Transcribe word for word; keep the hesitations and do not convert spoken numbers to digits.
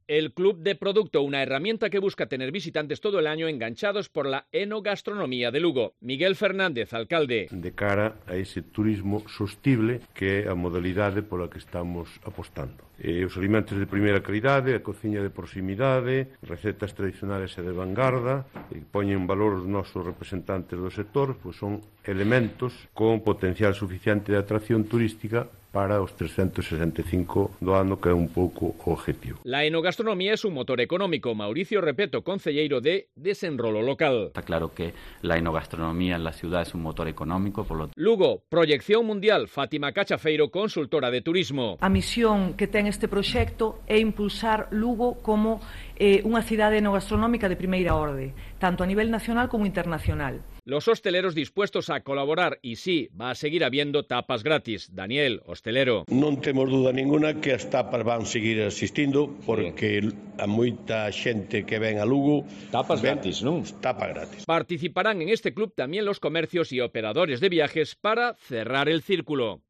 El Club de Producto, una herramienta que busca tener visitantes todo el año enganchados por la enogastronomía de Lugo. Miguel Fernández, alcalde. De cara a ese turismo sostible que é a modalidade pola que estamos apostando. E os alimentos de primeira calidade, a cociña de proximidade, recetas tradicionales e de vanguarda, que poñen en valor os nosos representantes do sector, pois son elementos con potencial suficiente de atracción turística para os trescentos sesenta e cinco do ano, que é un pouco o objetivo. La enogastronomía es un motor económico. Mauricio Repeto, concelleiro de Desenrolo Local. Está claro que la enogastronomía en la ciudad es un motor económico, por lo Lugo, proyección mundial. Fátima Cachafeiro, consultora de turismo. A misión que ten este proxecto é impulsar Lugo como eh, unha cidade enogastronómica de primeira orde, tanto a nivel nacional como internacional. Los hosteleros dispuestos a colaborar y sí, va a seguir habiendo tapas gratis. Daniel, hostelero. Non temos duda ninguna que as tapas van seguir asistindo porque sí. A moita xente que ven a Lugo tapas ven, gratis, non? Tapas gratis. Participarán en este club también los comercios y operadores de viajes para cerrar el círculo.